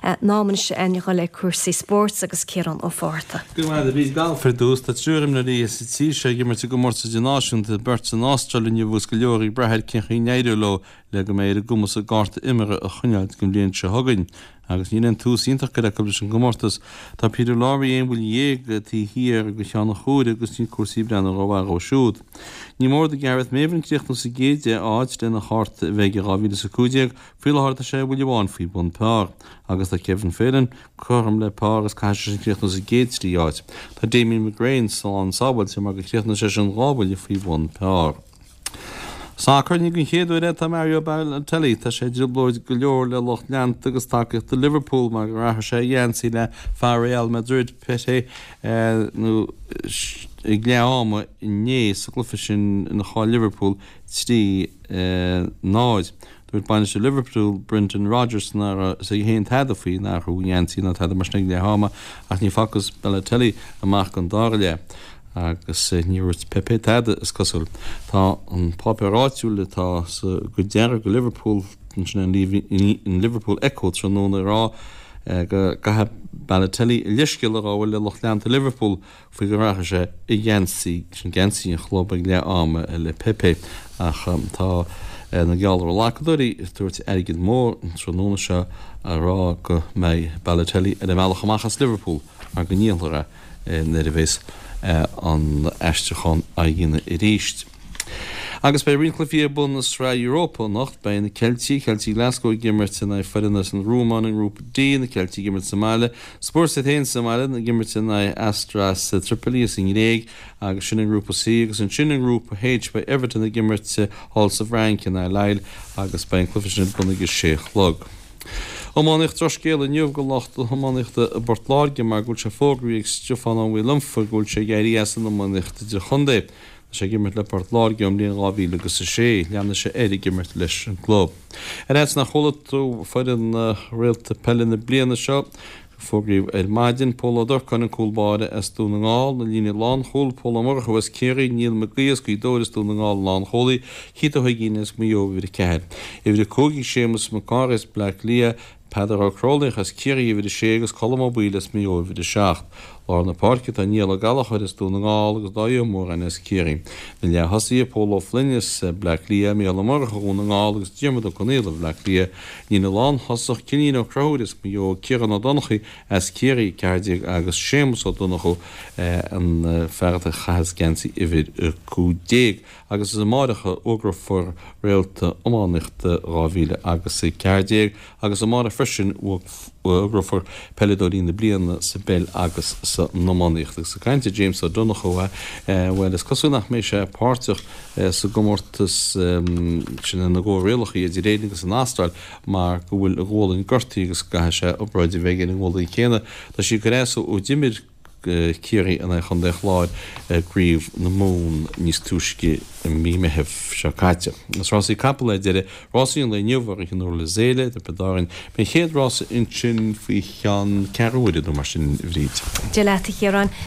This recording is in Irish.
In am anois a dhul ag cúrsaí spóirt agus Ciarán Ó Fátharta. Go raibh maith agat, a Bhríd. Galf ar dtús. Tá triúr imreoirí sa tír seo ag imirt i gcomórtas idirnáisiúnta, beirt san Astráil inniu agus go leor ag brath ar cén chaoi a n-éireoidh leo le go mbeidh ar a gcumas a gcárta imeartha a choinneáil don bhliain seo chugainn. Agus níl aon tús iontach curtha acu leis an gcomórtas. Tá Peter Lawrie aon bhuille dhéag taobh thiar de Sheán Ó Comhraí agus níl cúrsaí ag breathnú rómhaith dhó siúd. Ní mór do Gareth Maven críochnú sa gcéad 10 áit lena chárta a bheith aige 2015, Faoi láthair tá sé buille amháin faoi bhun par agus tá Kevin Phelan cothrom le par agus caithfidh seisean críochnú sa gcéad 3 áit. Tá Damien McGrane slán sábháilte mar gur chríochnaigh seisean 2 bhuille faoi bhun par. Sacar, ní den chéad uair é tá Mario Balotelli, tá sé i dtrioblóid go leor le lucht leanta agus tacaíochta Liverpool mar gur athraigh sé a gheansaí le fear Real Madrid, Pepe, nó ag leath ama inné sa gcluiche sin ina chaill Liverpool 3, 0. Dúirt bainisteoir Liverpool, Brendan Rodgers, nach raibh a fhios aige féin tada faoin athrú geansaí ná tada mar sin ag leath ama ach ní facthas Balotelli amach don dara leath agus ní dhúirt Pepe tada, is cosúil. Tá an páipéar áitiúil atá sa gcuid dearg de Liverpool, sin an Liverpool Echo tráthnóna ag rá go gcaithfidh Balotelli a leithscéal a ghabháil le lucht leanta Liverpool faoi gur athraigh sé a gheansaí, sin geansaí an chlub ag leath ama le Pepe, ach tá na geallghlacadóirí ag tabhairt airgead mór an tráthnóna seo a rá go mbeidh Balotelli ar a bhealach amach as Liverpool mar go ndíolfar é nuair a bheas an aistriúchán á dhéanamh arís. Agus beidh roinnt cluichí ar bun i Sraith Europa anocht. Beidh na Ceiltigh, Ceiltigh Glasgow ag imirt in aghaidh foireann as an Rúmáin i nGrúpa D, na Ceiltigh ag imirt sa mbaile, Spurs iad féin sa mbaile ag imirt in aghaidh Asteras Tripoli as an nGréig agus sin i nGrúpa C agus ansin i nGrúpa H beidh Everton ag imirt thall sa bhFrainc in aghaidh Lille agus beidh an cluiche sin ar bun ag a sé a chlog. Iománaíocht Drochscéal inniu do lucht na hiománaíochta i bPort Láirge mar go bhfuil sé fógraithe ag Stiofán Ó Maoileanfa go bhfuil sé ag éirí as an iománaíocht idirchontae. Tá sé ag imirt le Port Láirge ón mbliain 2000 agus 6. Leanfaidh sé air ag imirt leis an gclub. Ar fhaitíos nach chuala tú foireann réalta peile na bliana seo, fógraíodh ar maidin, Pól Ó Durcáin, an cúl báire as Dún na nGall, na líne lánchúil, Pól Ó Murchú as Ciarraí, Niall Mac Aoidh as Gaoth Dobhair as Dún na Ngall, lánchúlaí, Keith Ó hUiginn as Maigh Eo, uimhir 4. Uimhir 5 ag Séamus Mac Cárthaigh as Bleá Cliath, Peadar Ó Cróilíoch as Ciarraí, uimhir 6, agus Colm Ó Baoill as Maigh Eo, uimhir 7. Lár na páirce tá Niall Ó Gallchóir as Dún na nGall agus Dáithí Ó Móráin as Ciarraí. Na leath-thosaithe, Pól Ó Floinn as Bleá Cliath, Mícheál Ó Murchú Dhún na nGall agus Diarmuid Ó Conaola Bhleá Cliath. Líne lánthosach, Cillian Ó Conchúir as Maigh Eo, Ciarán Ó Donnchaidh as Ciarraí, 14, agus Séamus Ó Donnchú, an fear atá ag caitheamh geansaí uimhir 15. Agus is amáireach a fhógrófar réalta iománaíochta 2014 agus amárach freisin fógrófar peileadóirí na bliana sa bpeil agus san iománaíocht. Agus ag caint ar James Ó Donnchú, bhuel is cosúil nach mbeidh sé páirteach sa gcomórtas sin na gcomhrialacha idir Éirinn agus an Astráil mar go bhfuil a ghualainn gortaithe agus go gcaithfidh sé obráid a bheith aige ar an ngualainn chéanna. Tá sí ag cur as ó d'imir Ciarraí in aghaidh Chontae an Chláir i gCraobh na Mumhan níos túisce i mí Meithimh seo caite. Agus rásaí capall ar deireadh, rásaí an lae inniu i rith an Durlas Éile i dTiobraid Árann. Beidh an chéad rása ansin faoi cheann ceathrú uaire nó mar sin, a Bhríd. Dia leat, a Chiaráin.